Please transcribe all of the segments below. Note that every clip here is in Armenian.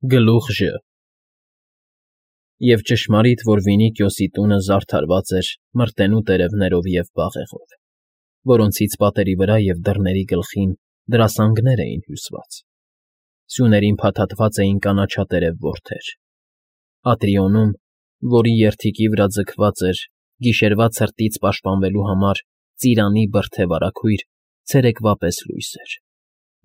Գլուխ Ժ Եվ ճշմարիտ, որ Վինիքիոսի տունը զարդարված էր մրտենու տերևներով և բաղեղով, որոնցից պատերի վրա և դռների գլխին դրասանգներ էին հյուսված. սյուներին փաթաթված էին կանաչատերև որդեր. Ատրիոնում, որի երդիկի վրա ձգված էր, գիշերվա ցրտից պաշտպանվելու համար ծիրանի բրդե վարագույր, ցերեկվա պես լույս էր,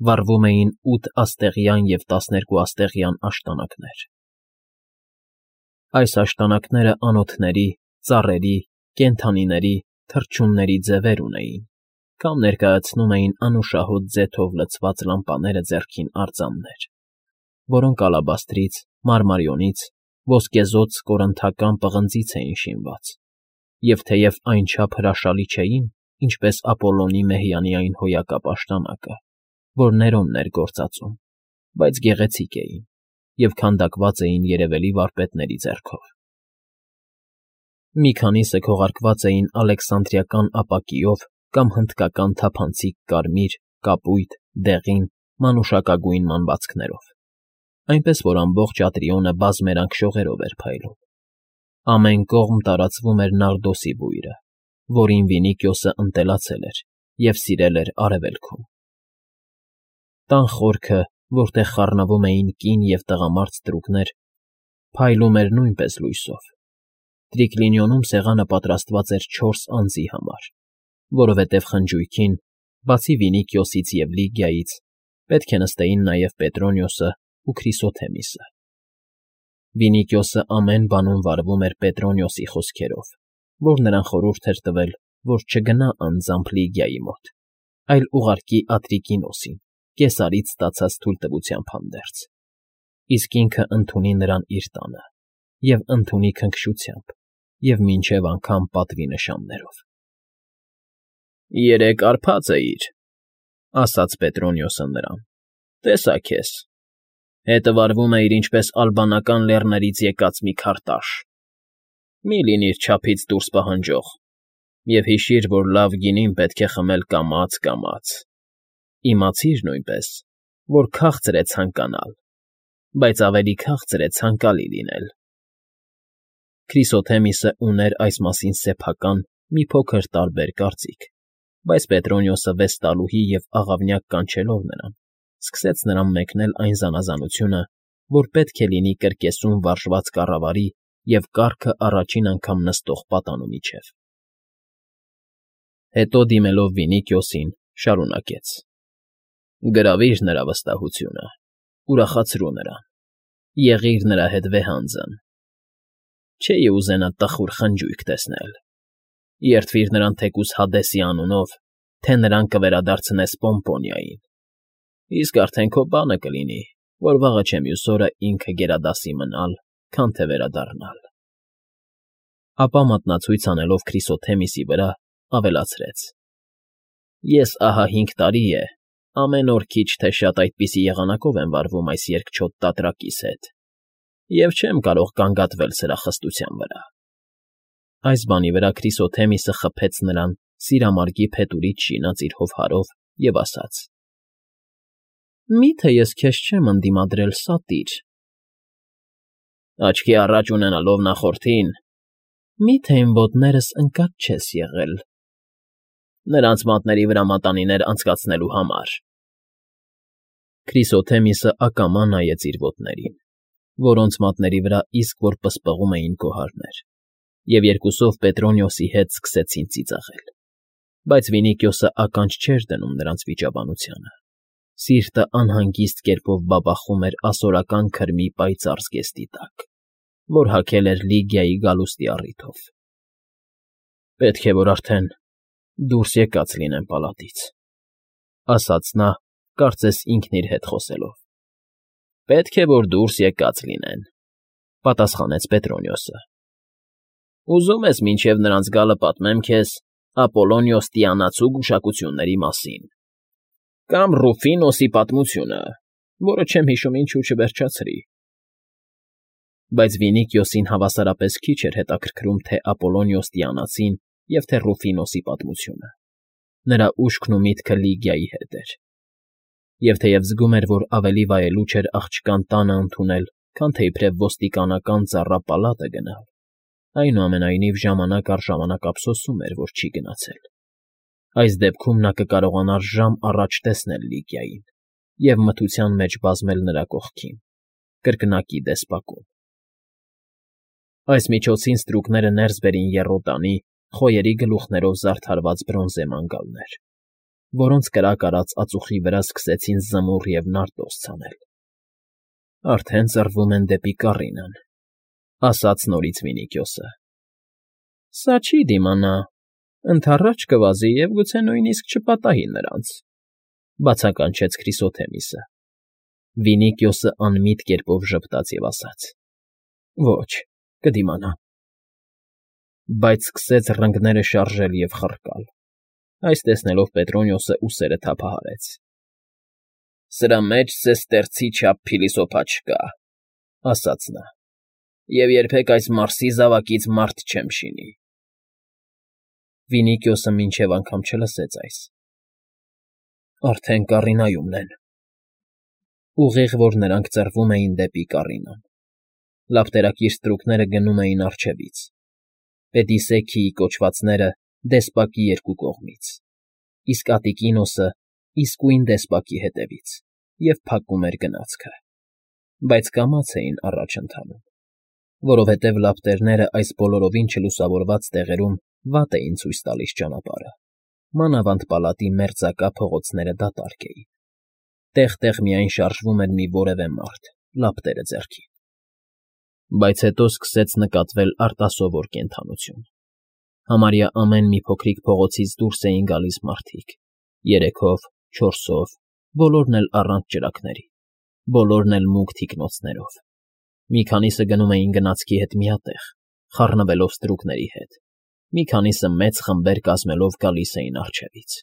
վառվում էին 8 աստեղյան և 12 աստեղյան աշտանակներ. այս աշտանակները անոթների, ծառերի, կենդանիների, թռչունների ձևեր ունեին, կամ ներկայացնում էին անուշահոտ ձեթով լցված լամպաները ձեռքին արձաններ, որոնք ալաբաստրից, մարմարիոնից, ոսկեզօծ կորինթական պղնձից էին շինված, և թեև այնչափ հրաշալի չէին, ինչպես Ապոլլոնի Մեհյանյան հոյակապ աշտանակը, որ Ներոնն էր գործածում, բայց գեղեցիկ էին և քանդակված էին երևելի վարպետների ձեռքով. մի քանիսը քողարկված էին ալեքսանդրիական ապակիով կամ հնդկական թափանցիկ կարմիր, կապույտ, դեղին, մանուշակագույն մանվածքներով, այնպես որ ամբողջ Ատրիոնը բազմերանգ շողերով էր փայլում. ամեն կողմ տարածվում էր նարդոսի բույրը, որին Վինիքիոսը ընտելացել էր և սիրել էր արևելքում. տան խորքը, որտեղ խառնվում էին կին և տղամարդ ստրուկներ, փայլում էր նույնպես լույսով. Տրիկլինիոնում սեղանը պատրաստված էր 4 անձի համար, որովհետև խնջույքին, բացի Վինիքիոսից և Լիգիայից, պետք է նստեին նաև Պետրոնիոսն ու Քրիսոթեմիսը. Վինիքիոսը ամեն բանում վարվում էր Պետրոնիոսի խոսքերով, որ նրան խորհուրդ էր տվել, որ չգնա անձամբ Լիգիայի մոտ, այլ ուղարկի Ատրիկինոսին, Կեսարից ստացած թույլտվությամբ հանդերձ, իսկ ինքը ընդունի նրան իր տանը, և ընդունի քնքշությամբ և մինչև անգամ պատվի նշաններով։ ֊ Երեկ արբած էիր,֊ ասաց Պետրոնիոսը նրան,֊ տեսա քեզ, հետը վարվում էիր ինչպես ալբանական լեռներից եկած մի քարտաշ. մի լինիր չափից դուրս պահանջող և հիշիր, որ լավ գինին պետք է խմել կամաց, իմացիր նույնպես, որ քաղցր է ցանկանալ, բայց ավելի քաղցր է ցանկալի լինել։ Քրիսոթեմիսը ուներ այս մասին սեփական մի փոքր տարբեր կարծիք, բայց Պետրոնիոսը վեստալուհի և աղավնյակ կանչելով նրան, սկսեց նրան մեկնել այն զանազանությունը, որ պետք է լինի կրկեսում վարժված կառավարի և կառքը առաջին անգամ նստող պատանու միջև։ Հետո դիմելով Վինիքիոսին, շարունակեց. «Գրավիր նրա վստահությունը, ուրախացրու նրան, եղիր նրա հետ վեհանձն։ Չէի ուզենա տխուր խնջույք տեսնել. երդվիր նրան թեկուզ Հադեսի անունով, թե նրան կվերադարձնես Պոմպոնիային, իսկ արդեն քո բանը կլինի, որ վաղը չէ մյուս օրը ինքը գերադասի մնալ, քան թե վերադառնալ»։ Ապա մատնացույց անելով Քրիսոթեմիսի վրա, ավելացրեց. «Ես ահա 5 տարի է, ամեն օր քիչ թե շատ այդպիսի եղանակով եմ վարվում այս երկչոտ տատրակիս հետ և չեմ կարող կանգատվել սրա խստության վրա»։ Այս բանի վրա Քրիսոթեմիսը խփեց նրան սիրամարգի փետուրից շինած իր հովհարով և ասաց. «Մի՞թե ես քեզ չեմ ընդդիմադրել, սատիր»։ «Աչքի առաջ ունենալով նախորդին, մի՞թե իմ ոտներս ընկած չես եղել»։ «Նրանց մատների վրա մատանիներ անցկացնելու համար»։ Քրիսոթեմիսը ակամա նայեց իր ոտներին, որոնց մատների վրա իսկ որ պսպղում էին գոհարներ, և երկուսով Պետրոնիոսի հետ սկսեցին ծիծաղել, բայց Վինիքիոսը ականջ չէր դնում նրանց վիճաբանությանը, սիրտը անհանգիստ կերպով բաբախում էր ասորական քրմի պայծառ զգեստի տակ, որ հագել էր Լիգիայի գալուստի առիթով։ «Պետք է որ արդեն դուրս եկած լինեն պալատից», ասաց նա, կարծես ինքն իր հետ խոսելով։ «Պետք է որ դուրս եկած լինեն», պատասխանեց Պետրոնիոսը։ «Ուզում ես մինչև նրանց գալը պատմեմ քեզ Ապոլոնիոս Տիանացու գուշակությունների մասին, կամ Ռուֆինոսի պատմությունը, որը չեմ հիշում ինչու չվերջացրի»։ Բայց Վինիքիոսին հավասարապես քիչ էր հետաքրքրում թե Ապոլոնիոս Տիանացին և թե Ռուֆինոսի պատմությունը. նրա ուշքն ու միտքը Լիգիայի հետ էր։ Եվ թեև զգում էր, որ ավելի վայելուչ էր աղջկան տանը ընդունել, քան թե իբրև ոստիկանական ծառա պալատը գնալ, այնուամենայնիվ ժամանակ առ ժամանակ ափսոսում էր, որ չի գնացել։ Այս դեպքում նա կկարողանար ժամ առաջ տեսնել Լիգիային և մթության մեջ բազմել նրա կողքին, կրկնակի դեսպակում։ Այս միջոցին ստրուկները ներս բերին եռոտանի, խոյերի գլուխներով զարդարված բրոնզե մանգալներ, որոնց կրակ արած ածուխի վրա սկսեցին զմուռ և նարտոզ ցանել։ Արդեն ծռվում են դեպի Կառինան, ասաց նորից Վինիքիոսը։ Սա չի դիմանա, ընդառաջ կվազի և գուցե նույնիսկ չպատահի նրանց, բացականչեց Քրիսոթեմիսը։ Վինիքիոսը անմիտ կերպով ժպտաց և ասաց. Ոչ, կդիմանա։ Բայց սկսեց ռնգները շարժել և խռկալ։ Այս տեսնելով Պետրոնիոսը ուսերը թափահարեց։ Սրա մեջ սեստերցի չափ փիլիսոփա չկա, ասաց նա, և երբեք այս մարսի զավակից մարդ չեմ շինի։ Վինիքիոսը մինչև անգամ չլսեց այս։ Արդեն Կառինայումն են։ Ուղիղ, որ նրանք ծռվում էին դեպի Կառինան։ Լապտերակիր ստրուկները գնում էին առջևից, Պետիսեքիի կոչվածները դեսպակի երկու կողմից, իսկ Ատիկինոսը իսկույն դեսպակի հետևից, և փակում էր գնացքը, բայց կամաց էին առաջ ընթանում, որովհետև լապտերները այս բոլորովին չլուսավորված տեղերում վատ էին ցույց տալիս ճանապարհը, մանավանդ պալատի մերձակա փողոցները դատարկ էին, տեղ֊տեղ միայն շարժվում էր մի որևէ մարդ, լապտերը ձեռքին։ Բայց հետո սկսեց նկատվել արտասովոր կենդանություն։ Համարյա ամեն մի փոքրիկ փողոցից դուրս էին գալիս մարդիկ, 3-ով, 4-ով, բոլորն էլ առանց ճրագների, բոլորն էլ մուգ թիկնոցներով։ Մի քանիսը գնում էին գնացքի հետ միատեղ, խառնվելով ստրուկների հետ, մի քանիսը մեծ խմբեր կազմելով գալիս էին առջևից,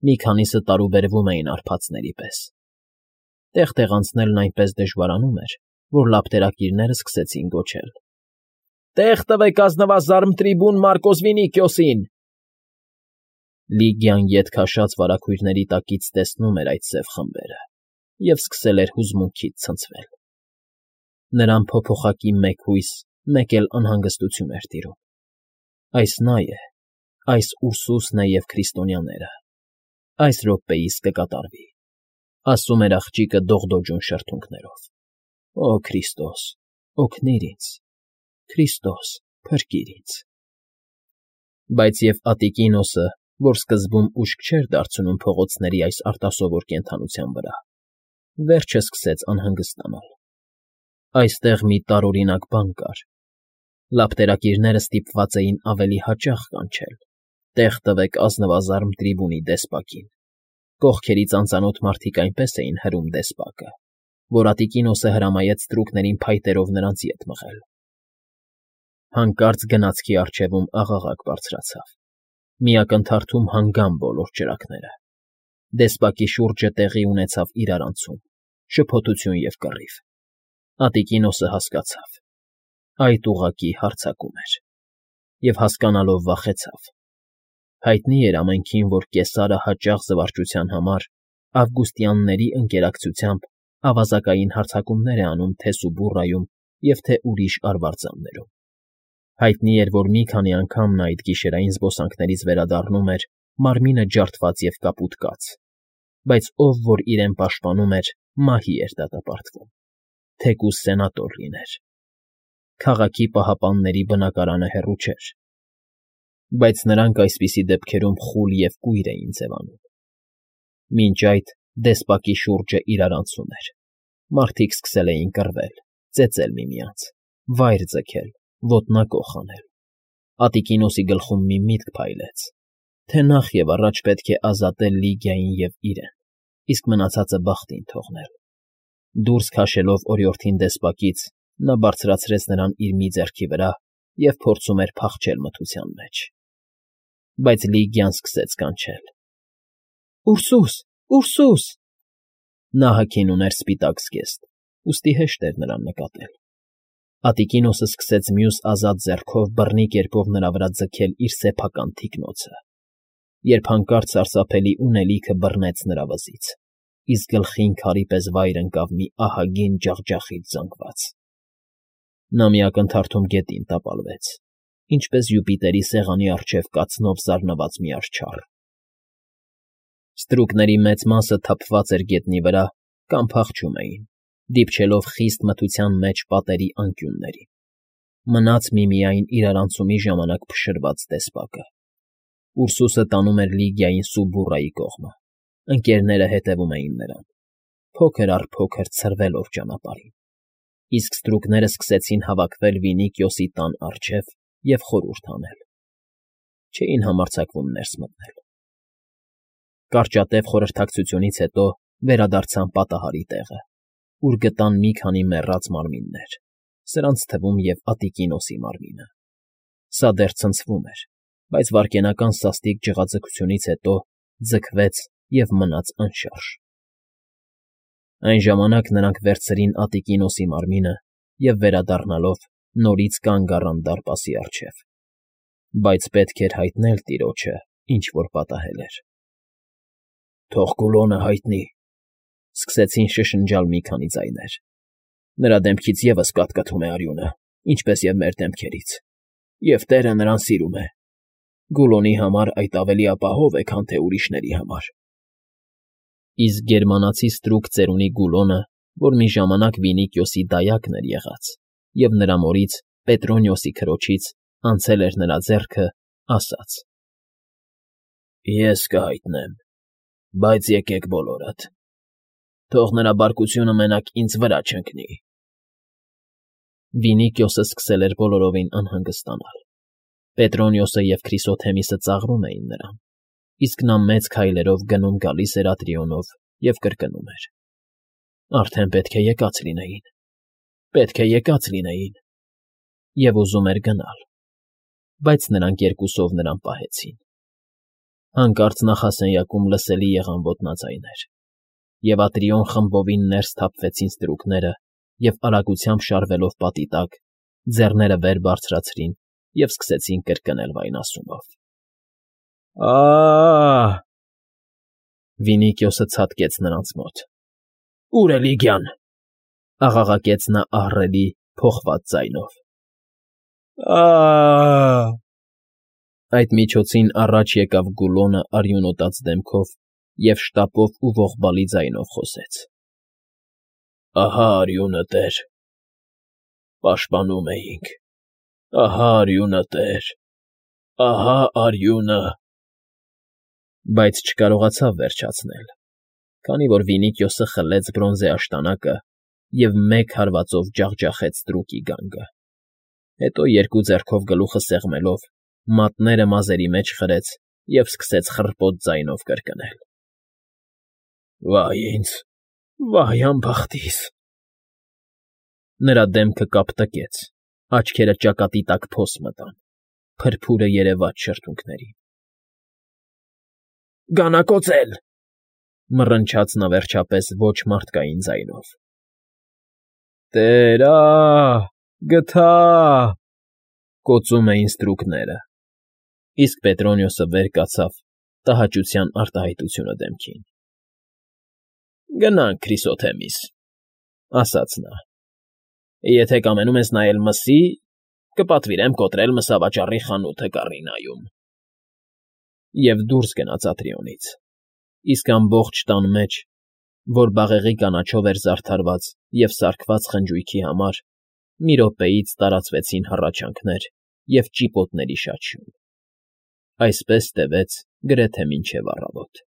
մի քանիսը տարուբերվում էին արբածների պես։ Տեղ-տեղ անցնելն այնպես դժվարանում էր, որ լապտերակիրները սկսեցին գոչել. Տեղ տվեք ազնվազարմ տրիբուն Մարկոս Վինիքիոսին։ Լիգիան ետ քաշած վարագույրների տակից տեսնում էր այդ սև խմբերը և սկսել էր հուզմունքից ցնցվել։ Նրան փոփոխակի մեկ հույս, մեկ էլ անհանգստություն էր տիրում։ Այս նա է, այս Ուրսուսն է և քրիստոնյաները։ Այս րոպեիս կկատարվի, ասում էր աղջիկը դողդոջուն շրթունքներով։ Օ Քրիստոս, օգնիր ինձ, Քրիստոս, փրկիր ինձ։ Բայց և Ատիկինոսը, որ սկզբում ուշք չէր դարձնում փողոցների այս արտասովոր կենդանության վրա, վերջը սկսեց անհանգստանալ։ Այստեղ մի տարօրինակ բան կար։ Լապտերակիրները ստիպված էին ավելի հաճախ կանչել. «Տեղ տվեք ազնվազարմ տրիբունի դեսպակին»։ Կողքերից անծանոթ մարդիկ այնպես էին հրում դեսպակը, որ Ատիկինոսը հրամայեց ստրուկներին փայտերով նրանց ետ մղել։ Հանկարծ գնացքի առջևում աղաղակ բարձրացավ։ Մի ակնթարթում հանգան բոլոր ճրագները։ Դեսպակի շուրջը տեղի ունեցավ իրարանցում, շփոթություն և կռիվ։ Ատիկինոսը հասկացավ. այդ ուղղակի հարձակում էր, և հասկանալով վախեցավ։ Հայտնի էր ամենքին, որ Կեսարը հաճախ զվարճության համար ավգուստյանների ընկերակցությամբ ավազակային հարձակումներ է անում թե Սուբուրրայում և թե ուրիշ արվարձաններում։ Հայտնի էր, որ մի քանի անգամ նա այդ գիշերային զբոսանքներից վերադառնում էր մարմինը ջարդված և կապուտ կաց, բայց ով որ իրեն պաշտպանում էր, մահի էր դատապարտվում, թեկուզ սենատոր լիներ։ Քաղաքի պահապանների բնակարանը հեռու չէր, բայց նրանք այսպիսի դեպքերում խուլ և կույր էին ձևանում։ Մինչ այդ դեսպակի շուրջը իրարանցում էր։ Մարդիկ սկսել էին կռվել, ծեծել միմյանց, վայր ձգել, ոտնակոխ անել։ Ատիկինոսի գլխում մի միտք փայլեց, թե նախ և առաջ պետք է ազատել Լիգիային և իրեն, իսկ մնացածը բախտին թողնել։ Դուրս քաշելով օրիորդին դեսպակից, նա բարձրացրեց նրան իր մի ձեռքի վրա և փորձում էր փախչել մթության մեջ։ Բայց Լիգիան սկսեց կանչել. Ուրսուս, Ուրսուս։ Նա հագին ուներ սպիտակ զգեստ, ուստի հեշտ էր նրան նկատել։ Ատիկինոսը սկսեց մյուս ազատ ձեռքով բռնի կերպով նրա վրա ձգել իր սեփական թիկնոցը, երբ հանկարծ սարսափելի ունելիքը բռնեց նրա վզից։ իսկ գլխին քարի պես վայր ընկավ մի ահագին ջախջախիչ զանգված։ Նա մի ակնթարթում գետին տապալվեց, ինչպես Յուպիտերի սեղանի առջև կացնով զարնված մի արջառ։ Ստրուկների մեծ մասը թափված էր գետնի վրա կամ փախչում էին, դիպչելով խիստ մթության մեջ պատերի անկյուններին։ Մնաց միմիայն իրարանցումի ժամանակ փշրված տեսպակը։ Ուրսուսը տանում էր Լիգիային Սուբուրայի կողմը, ընկերները հետևում էին նրան, փոքր առ փոքր ցրվելով ճանապարհին, իսկ ստրուկները սկսեցին հավաքվել Վինիքիոսի տան առջև և խորհուրդ անել։ Չէին համարձակվում ներս մտնել։ Կարճատև խորհրդակցությունից հետո վերադարձան պատահարի տեղը, ուր գտան մի քանի մեռած մարմիններ, սրանց թվում և Ատտիկինոսի մարմինը։ Սա դեռ ցնցվում էր, բայց վայրկենական սաստիկ ջղաձգությունից հետո ձգվեց և մնաց անշարժ։ Այն ժամանակ նրանք վերցրին Ատտիկինոսի մարմինը և վերադառնալով նորից կանգ առան դարպասի առջև, բայց պետք էր հայտնել տիրոջը, ինչ որ պատահել էր։ «Թող Գուլոնը հայտնի», ֊ սկսեցին շշնջալ մի քանի ձայներ։ «Նրա դեմքից ևս կաթկթում է արյունը, ինչպես և մեր դեմքերից, և Տերը նրան սիրում է։ Գուլոնի համար այդ ավելի ապահով է, քան թե ուրիշների համար»։ Իսկ գերմանացի ստրուկ ծերունի Գուլոնը, որ մի ժամանակ Վինիքիոսի դայակն էր եղած և նրա մորից՝ Պետրոնիոսի քրոջից, անցել էր նրա ձեռքը, ասաց. «Ես կհայտնեմ, բայց եկեք բոլորդ, թող նրա բարկությունը մենակ ինձ վրա չընկնի»։ Վինիքիոսը սկսել էր բոլորովին անհանգստանալ։ Պետրոնիոսը և Քրիսոթեմիսը ծաղրում էին նրան, իսկ նա մեծ քայլերով գնում֊գալիս էր Ատրիոնով և կրկնում էր. «Արդեն պետք է եկած լինեին, պետք է եկած լինեին», և ուզում էր գնալ, բայց նրանք երկուսով նրան պահեցին։ Հանկարծ նախասենյակում լսելի եղան ոտնաձայներ, և Ատրիոն խմբովին ներս թափվեցին ստրուկները և արագությամբ շարվելով պատի տակ, ձեռները վեր բարձրացրին և սկսեցին կրկնել վայնասունով. «Ա՜…»։ Վինիքիոսը ցատկեց նրանց մոտ։ «Ո՞ւր է Լիգիան», ֊ աղաղակեց նա ահռելի, փոխված ձայնով։ «Ա՜…»։ Այդ միջոցին առաջ եկավ Գուլոնը արյունոտած դեմքով և շտապով ու ողբալի ձայնով խոսեց. «Ահա արյունը, Տեր, պաշտպանում էինք, ահա արյունը, Տեր, ահա արյունը»։ Բայց չկարողացավ վերջացնել, քանի որ Վինիքիոսը խլեց բրոնզե աշտանակը և մեկ հարվածով ջախջախեց ստրուկի գանգը, հետո երկու ձեռքով գլուխը սեղմելով մատները մազերի մեջ խրեց և սկսեց խռպոտ ձայնով կրկնել. «Վա՜յ ինձ, վա՜յ անբախտիս»։ Նրա դեմքը կապտկեց, աչքերը ճակատի տակ փոս մտան, փրփուրը երևաց շրթունքներին։ «Գանակոծել», ֊ մռնչաց նա վերջապես ոչ մարդկային ձայնով։ «Տեր, գթա», ֊ կոծում էին ստրուկները, իսկ Պետրոնիոսը վեր կացավ տհաճության արտահայտությունը դեմքին։ «Գնանք, Քրիսոթեմիս», ֊ ասաց նա։ «Եթե կամենում ես նայել մսի, կպատվիրեմ կոտրել մսավաճառի խանութը Կառինայում»։ Եվ դուրս գնաց Ատրիոնից, իսկ ամբողջ տան մեջ, որ բաղեղի կանաչով էր զարդարված և սարքված խնջույքի համար, մի րոպեից տարածվեցին հառաչանքներ և ճիպոտների շաչյուն։ Այսպես տևեց գրեթե մինչև առավոտ։